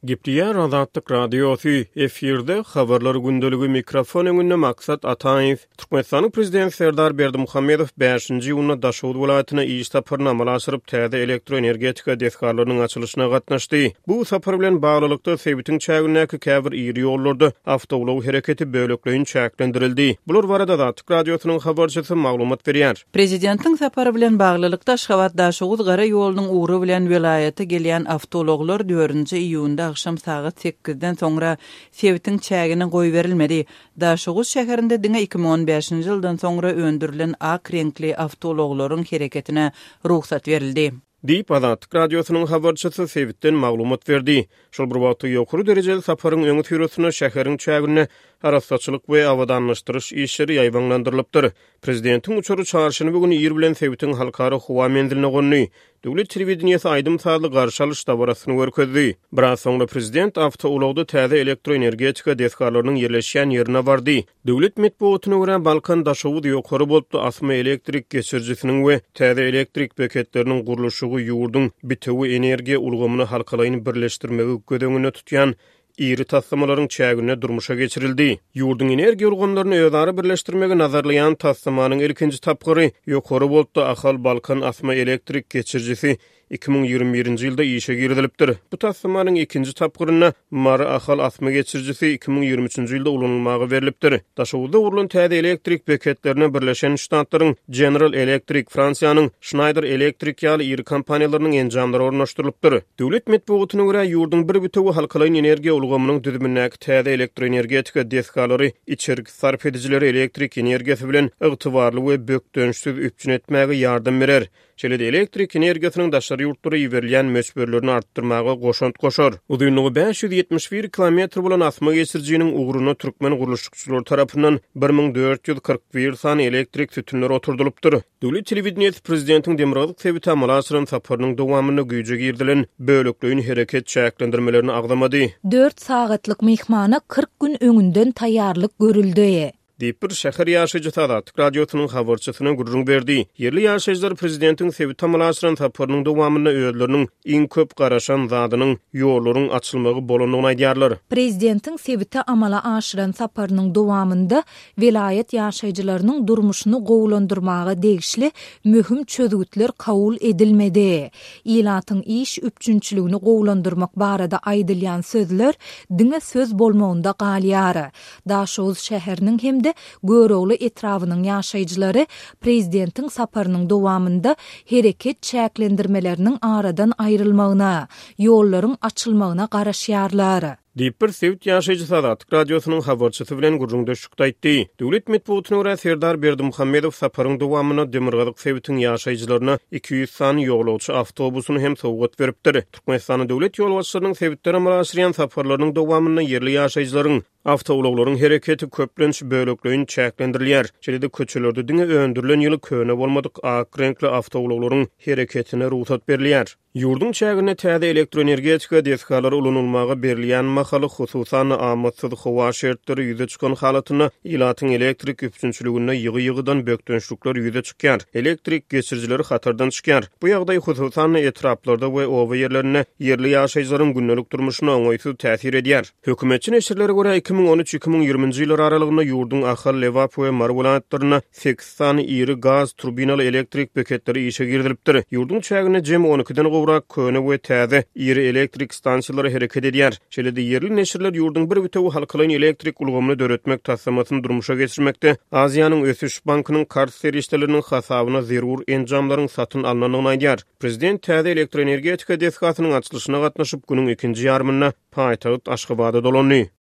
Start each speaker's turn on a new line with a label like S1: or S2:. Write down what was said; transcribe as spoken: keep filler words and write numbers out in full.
S1: Gepleýär Azatlyk Radiosy, efirde Habarlar gündeligi, mikrofon öňünde Maksat Ataýew. Türkmenistanyň Prezidenti Serdar Berdimuhamedow bäşinji iýunda Daşoguz welaýatyna iş saparyny amala aşyryp, täze elektroenergetika desgalarynyň açylyşyna gatnaşdy. Bu sapar bilen baglylykda, sebitiň çägindäki käbir iri ýollarda awtoulag hereketi bölekleýin çäklendirildi. Bular barada Azatlyk Radiosynyň habarçysy maglumat berýär.
S2: Prezidentiň sapary bilen baglylykda, Aşgabat-Daşoguz gara ýolunyň ugry bilen welaýata gelýän awtoulaglar dördünji iýunda agşam sagat sekizden soňra sebitiň çägine goýberilmedi. Daşoguz şäherinde diňe iki müň on bäşinji ýyldan soňra öndürilen ak reňkli awtoulaglaryň hereketine rugsat berildi.
S1: Diýip, Azatlyk Radiosynyň habarçysy sebitden maglumat berdi. Şol bir wagtda, ýokary derejeli saparyň öňüsyrasynda şäheriň çäginde arassaçylyk we abadanlaşdyryş işleri ýaýbaňlandyrylypdyr. Prezidentiň uçary çarşenbe güni ir bilen sebitiň halkara howa menziline gondy. Döwlet telewideniýesi aýdym-sazly garşy alyş dabarasyny görkezdi. Biraz soňra prezident awtoulagda täze elektroenergetika desgalarynyň ýerleşýän ýerine bardy. Döwlet metbugatyna görä, Balkan-Daşoguz ýokary woltly asma elektrik geçirijisiniň we täze elektrik beketleriniň gurluşygy ýurduň bitewi energiýa ulgamyny halkalaýyn birleşdirmegi göz öňünde tutýan iri taslamalaryň çäginde durmuşa geçirildi. Ýurduň energiýa ulgamlaryny özara birleşdirmegi nazarlaýan taslamanyň ilkinji tapgyry ýokary woltly Ahal-Balkan asma elektrik geçirijisi iki müň ýigrimi birinji ýylda işe girizilipdir. Bu taslamanyň ikinji tapgyrynda Mary-Ahal asma geçirijisi iki müň ýigrimi üçünji ýylda ulanylmaga berlipdir. Daşoguzda gurlan täze elektrik beketlerine Birleşen Ştatlaryň General Electric, Fransiýanyň Schneider Electric ýaly iri kompaniýalarynyň enjamlary ornaşdyrylypdyr. Döwlet metbugatyna görä, ýurduň bir bitewi halkalaýyn energiýa ulgamynyň düzümindäki täze elektroenergetika desgalary içerki sarp edijileri elektrik energiýasy bilen ygtybarly we bökdençsiz üpjün etmäge ýardam berer. Şeýle-de elektrik energiýasynyň daşary ýurtlara iberilýän möçberlerini artdyrmaga goşant goşar. Uzynlygy bäş ýüz ýetmiş bir kilometr bolan asma geçirijiniň ugruna türkmen gurluşykçylary tarapyndan bir müň dört ýüz kyrk bir sany elektrik sütünleri oturdylypdyr. Döwlet telewideniýesi prezidentiň demirgazyk sebite amala aşyran saparynyň dowamynda güýje girizilen bölekleýin hereket çäklendirmelerini agzamady.
S3: Dört sagatlyk myhmana kyrk gün öňünden taýýarlyk görüldi.
S1: Diýip, bir şäher ýaşaýjysy Azatlyk Radiosynyň habarçysyna gürrüň berdi. Ýerli ýaşaýjylar prezidentiň sebite amala aşyran saparynyň dowamynda özleriniň iň köp garaşan zadynyň ýollaryň açylmagy bolandygyny aýdýarlar.
S3: Prezidentiň sebite amala aşyran saparynyň dowamynda welaýat ýaşaýjylarynyň durmuşyny gowulandyrmaga degişli möhüm çözgütler kabul edilmedi. Ilatyň iş üpjünçiligini gowulandyrmak barada aýdylýan sözler diňe söz bolmagynda galýar. Daşoguz şäheriniň hem-de Görogly etrabynyň ýaşaýjylary prezidentiň saparynyň dowamynda hereket çäklendirmeleriniň aradan aýrylmagyna, ýollaryň açylmagyna garaşýarlar.
S1: Diýip, bir sebit ýaşaýjysy Azatlyk Radiosynyň habarçysy bilen gürrüňdeşlikde aýtdy. Döwlet metbugatyna görä, Serdar Berdimuhamedow saparyň dowamynda demirgazyk sebitiň ýaşaýjylaryna iki ýüz sany ýolagçy awtobusyny hem sowgat beripdir. Türkmenistanyň döwlet ýolbaşçylarynyň sebitlere amala aşyrýan saparlarynyň dowamynda ýerli ýaşaýjylaryň awtoulaglaryň hereketi köplenç bölekleýin çäklendirilýär. Şeýle-de köçelerde diňe öndürilen ýyly köne bolmadyk ak reňkli awtoulaglaryň hereketine rugsat berilýär. Ýurduň çäginde täze elektroenergetika desgalary ulanylmaga berilýän mahaly, hususan-da amatsyz howa şertleri ýüze çykan halatynda ilatyň elektrik üpjünçiliginde ýygy-ýygydan bökdençlikler ýüze çykýar. Elektrik geçirijileri hatardan çykýar. Bu ýagdaý hususan-da etraplarda we oba ýerlerinde ýerli ýaşaýjylaryň gündelik durmuşyna oňaýsyz täsir edýär. Hökümetçi neşirlere görä, iki müň on üç, iki müň ýigriminji ýyllar aralygynda ýurduň Ahal, Lebap we Mary welaýatlarynda sekiz sany iri gaz turbinaly elektrik beketleri işe girizilipdir. Ýurduň çäginde jemi on ikiden gowrak köne we täze iri elektrik stansiýalary hereket edýär. Şeýle-de ýerli neşirler ýurduň bir bitewi halkalaýyn elektrik ulgamyny döretmek taslamasyny durmuşa geçirmekde Aziýanyň ösüş bankynyň karz serişdeleriniň hasabyna zerur enjamlaryň satyn alnandygyny aýdýar. Prezident täze elektroenergetika desgasynyň açylyşyna gatnaşyp, günüň ikinji ýarymynda paýtagt Aşgabada dolandy.